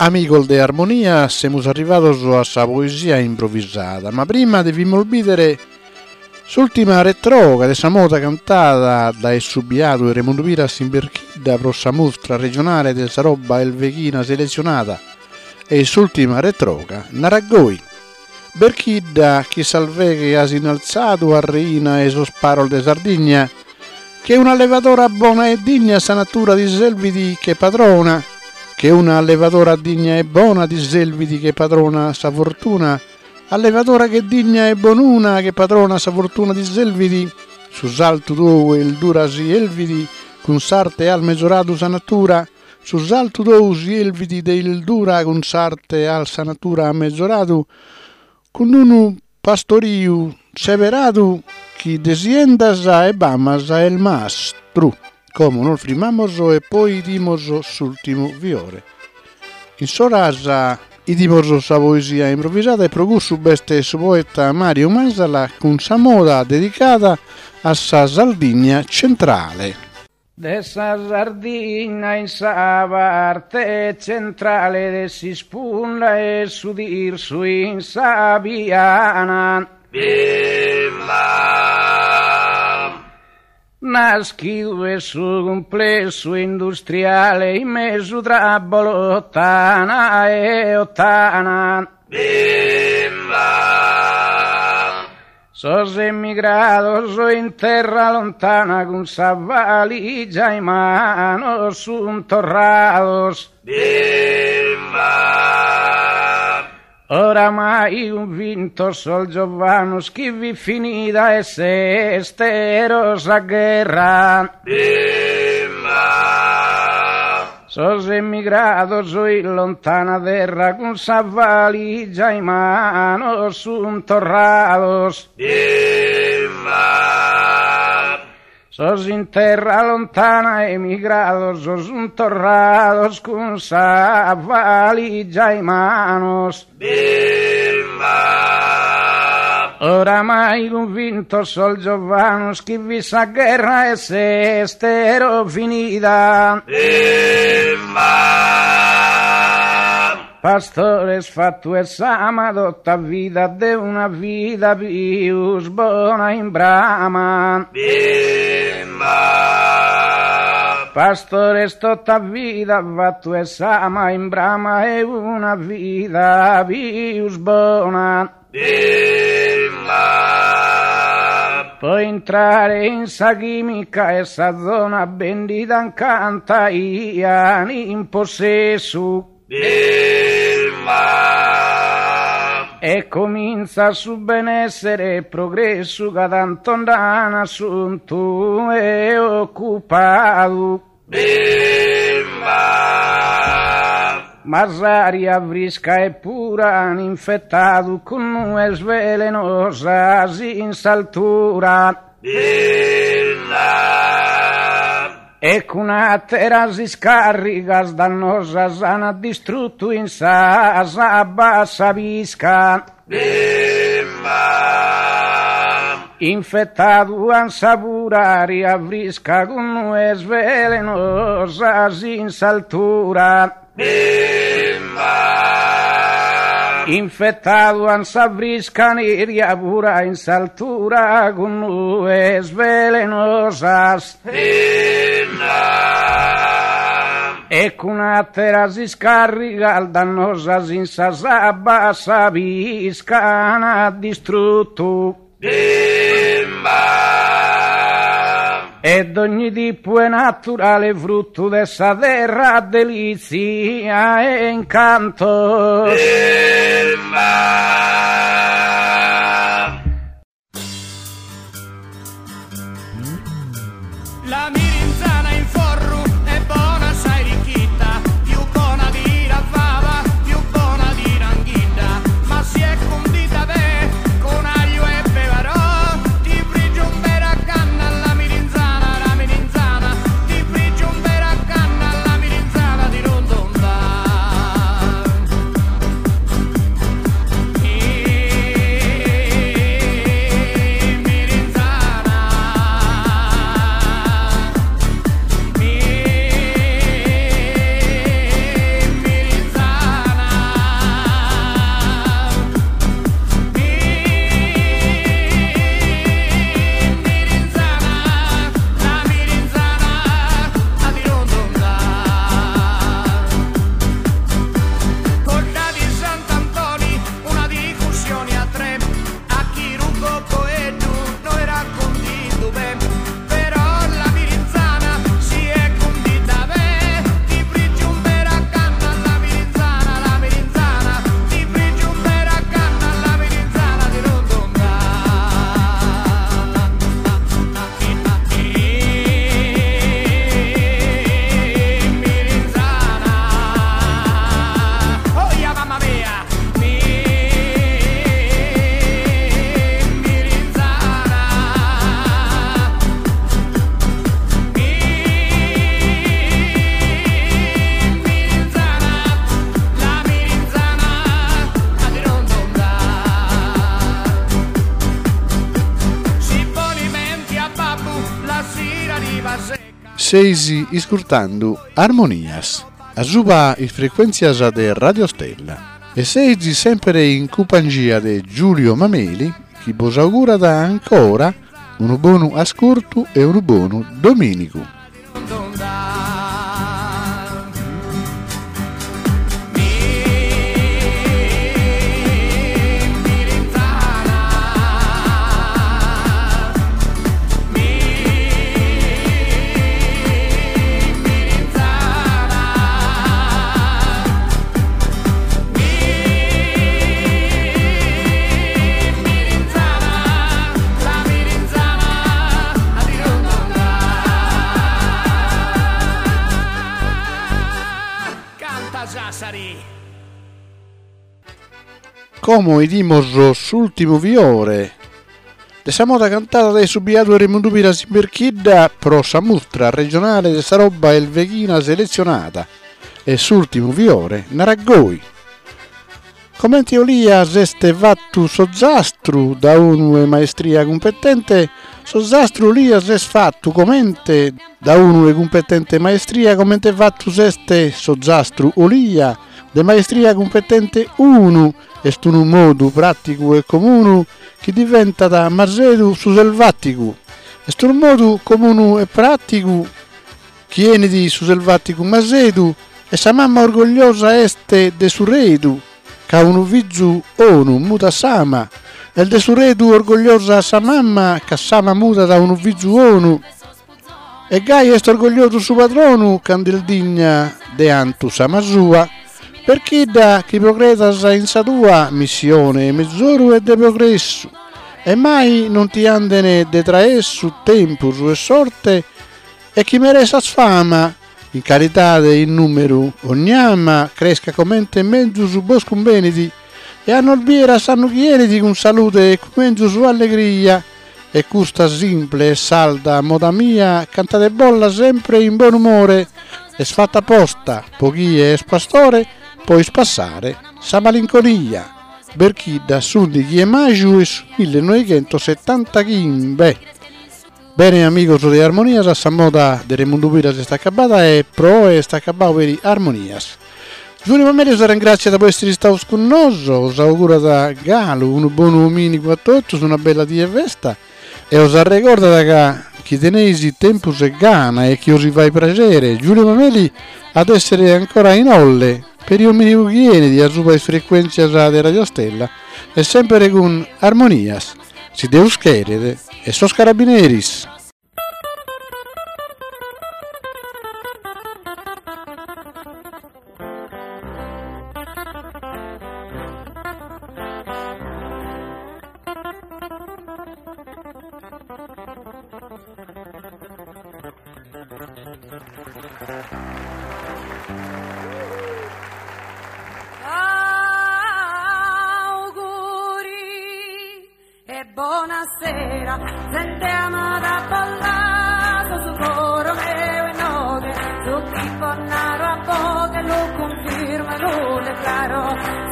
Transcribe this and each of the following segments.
Amigos de Armonia, semus arrivados a sa poesia improvisada, ma prima devimus bìdere s'ùltima retroga de sa moda cantada dae su biadu 'e Remundu Piras in Berchidda pro sa mustra regionale de sa roba elveghina seletzionada e s'ùltima retroga narat goi, Berchidda chi s'alveghe as innaltzadu a reina 'e sos paros de Sardigna, che un'allevadora bona e digna sa natura ti selvit che padrona, che una allevadora digna e bona ti selvit che padrona sa fortuna, allevadora che digna e bonuna che padrona sa fortuna ti selvit, su saltu tou 'e 'ildura si 'elvit cun s'arte as mezoradu sa natura, Su saltu tou si 'elvit de 'ildura cun s'arte as sa natura mezoradu cun unu pastoriu seberadu chi de siendas e bamas est mastru. Como nos frimmamos e poi 'idimos s'ultimu fiore. In s'oras 'idimos sa poesia improvisada e pro cussu b'est su poeta Mario Masala cun sa moda dedicada a sa Sardigna centrale. De sa Sardigna in sa parte tzentrale de s'ispunda 'e su Tirsu in sa piana. Naschidu est su cumplessu industriale in mesu tra Bolotana e Ottana. Sos emigrados in terra lontana cun sa valigia in manos sun torrados. Oramai cunvintos sos giovanos chi fit finida 'e s'estero sa gherra. Sos emigrados in lontana terra cun sa valigia in manos sun torrados. Sos in terra lontana emigrados sun torrados cun sa valigia in manos. Oramai cunvintos sos giovanos chi fit sa gherra 'e s'estero finida. Pastores fatu 'e s'ama tota vida de una vida pius bona in brama. Pastores tota vida fatu 'e s'ama in brama 'e una vida pius bona. Po intrare in sa chimica 'e sa zona bendida cant'aian in possessu. E comintzat su benessere e progressu ca tantu nd'an assuntu e ocupadu. Ma s'aria frisca e pura an infetadu cun nues velenosas in s'altura. E cun àteras iscàrrigas dannosas an distrutu in sas abbas sa pisca. Infetadu an sa pura ària frisca cun nues velenosas in s'altura. Infetadu an sa frisca aria pura in s'altura cun nues velenosas. E cun àteras iscàrrigas dannosas in sas abbas sa pisca an distrutu. E dogni tipu 'e naturale fruttu de sa terra delizia e incantos. La mirinzana in forru è bona sa 'erichita, più bona di la fava, più bona di l'anghidda, ma si è cundita be' con aglio e pebarò, ti frigge un vera canna la mirinzana, la mirinzana, ti frigge un vera canna la mirinzana di rondonda. Seis iscurtando Armonias, asuba is frequentzias de Radio Stella e seis sempre in cumpangia de Giulio Mameli chi bos augurat ancora unu bonu ascurtu e unu bonu domìnigu. Como 'idimos s'ùltimu fiore de sa moda cantada dae su biadu Remundu Piras in Berchidda pro sa mustra regionale de sa roba 'elveghina seletzionada e s'ùltimu fiore narat goi. Comente olia s'est fatu s'ozastru da unu 'e maestria cumpetente, s'ozastru olia s'est fatu comente da unu 'e cumpetente maestria comente fatu s'est s'ozastru olia de maestria cumpetente unu est unu modu pràticu e comunu chi diventat masedu su selvàticu est unu modu comunu e pràticu Chi 'enit su selvaticu masedu e sa mama orgogliosa est de su redu ca unu fizu 'onu mudat s'ama est de su redu orgogliosa sa mama ca s'ama mudat unu fizu 'onu e gai est orgogliosu su padronu cand'est digna de 'antu s'ama sua Berchidda chi progredas in sa tua missione 'e mezoru e de progressu e mai non ti anden de traessu tempus e sorte E chi meressas fama, in calidade e in numeru, ogn'ama crescat comente menzus bos cumbenit, e a nos bier a s'annu chi 'enit cun salude e cun menzus allegria. E custa simple e salda moda mia cantadebolla sempre in bonumore, est fatta aposta po chie est pastore po ispassare sa malinconia. Berchidda s'undighi 'e maju 'e su millenoighentosetantachimbe. Bene amigos de Armonias, sa moda de Remundu Piras est acabada e pro oe est acabadu peri Armonias. Giulio Mameli os arrengràtziat po èssere istados cun noso, os augurat galu unu bonu domìnigu a totus, una bella die 'e festa e os arregordat ca chi teneis tempus e gana e chi os fait praxere, Giulio Mameli at èssere ancora in Olle peri domìnigu chi 'enit a suba is frecuèntzias de Radio Stella e sempere cun Armonias. Si Deus cheret, e sos carabineris. Auguri e bonasera, zente amada bollato su coro meu inoghe, su chi bos naro a boghe lu cunfirmo e lu declaro,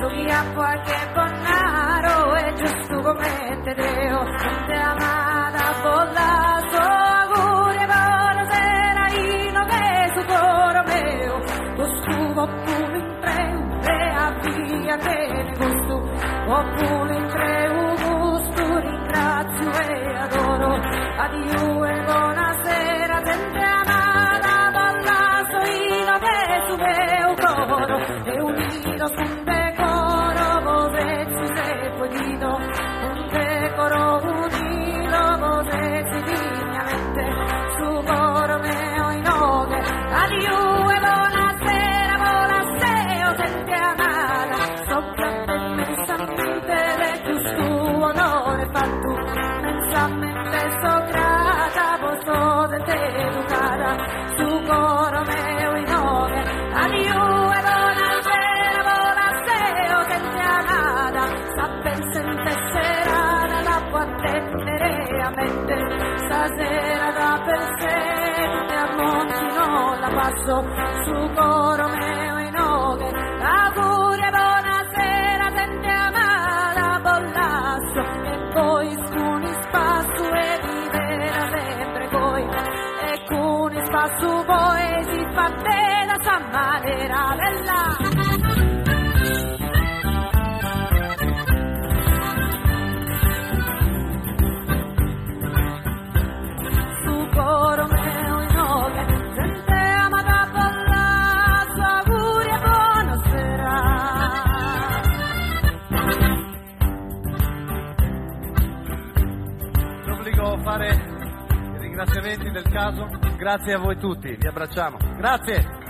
su chi apo a che bos naro est giustu comente deo, zente amada bollato auguri e bonasera inoghe su coro meu, custu populu intreu e a via tene gustu, populu intreu gustu ringrazio e adoro, adiu e bonasera zente amada bos lasso inoghe su meu coro e unidos cun decoro bos sezis e poi 'ido cun decoro unido bos sezis dignamente su coro meu inoghe adiu e bonasera bos lasso zente amada so grata immensamente de custu onore fattu immensamente so grata bos so zente educada su coro meu inoghe adiu e bonasera bos lasso zente amada sa presente serada l'apo a tennere a mente stasera da presente a Monti non la passo su coro meu inoghe auguri e bonasera zente amada bos lasso e pois cun ispassu e vivera sempre goi e cun ispassu. sa manera bella. Su coro meu inoghe, zente amada balla, su auguri e bonasera. L'obbligo a fare i ringraziamenti del caso. Grazie a voi tutti, vi abbracciamo. Grazie!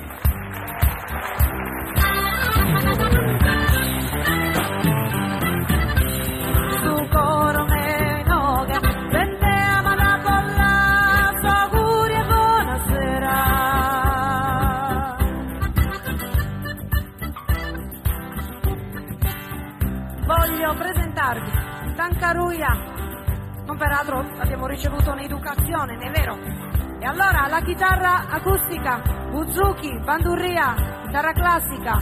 Su coro meu inoghe, zente amada balla, su auguri e bonasera. Voglio presentarvi Tancaruia. Non peraltro abbiamo ricevuto un'educazione, non è vero? E allora la chitarra acustica, buzuki, bandurria, chitarra classica,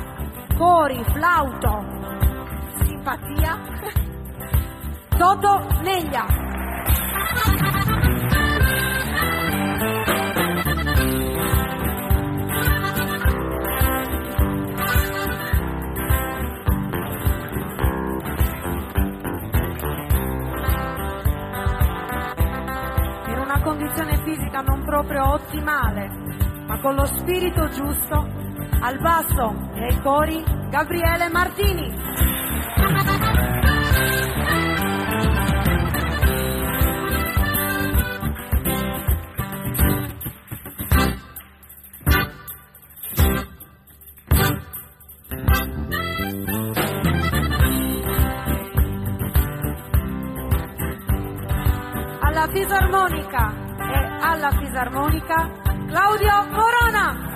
cori, flauto, simpatia, Toto Neglia. In una condizione fisica non proprio ottimale, ma con lo spirito giusto, al basso e ai cori Gabriele Martini. Alla fisarmonica e alla fisarmonica Claudio Corona.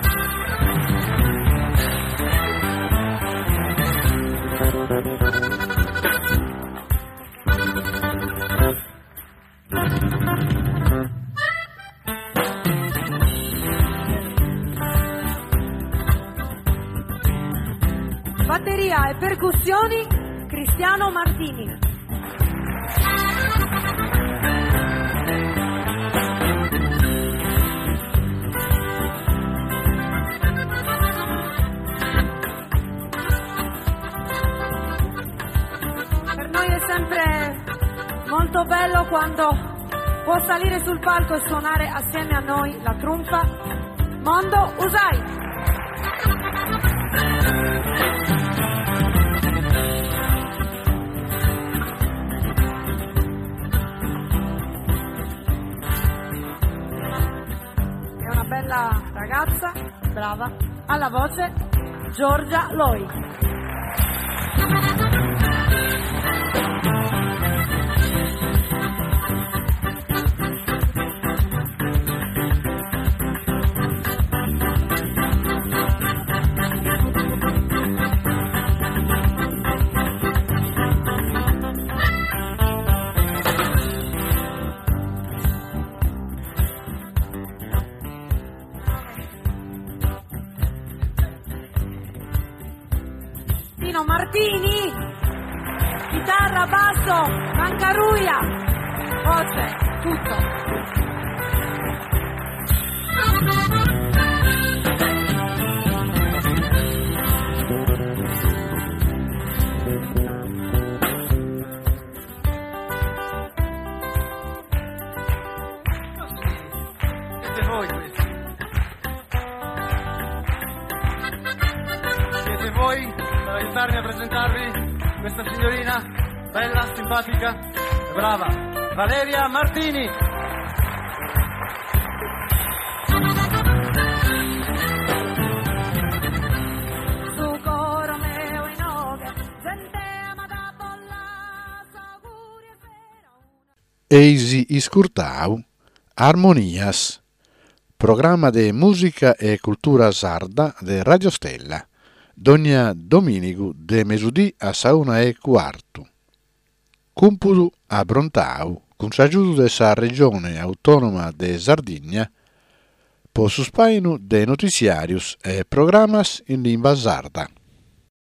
Batteria e percussioni Cristiano Martini. Per noi è sempre molto bello quando può salire sul palco e suonare assieme a noi la tromba Mondo Usai. È una bella ragazza, brava, alla voce Giorgia Loi. Tino Martini, chitarra, basso, bancaruia, voce, tutto. Siete voi questi. Siete voi per aiutarmi a presentarvi questa signorina bella, simpatica e brava, Valeria Martini. Su coro meu inoghe, zente amada bolla, auguri e sera una. Eisi iscurtau Armonias, programma de musica e cultura sarda de Radio Stella, dogna dominigu de mesudì a sa una e cuartu. Cumpudu abrontau cun s'agiudu de sa Regione Autonoma de Sardigna po su spainu de notiziarios e programas in limba sarda.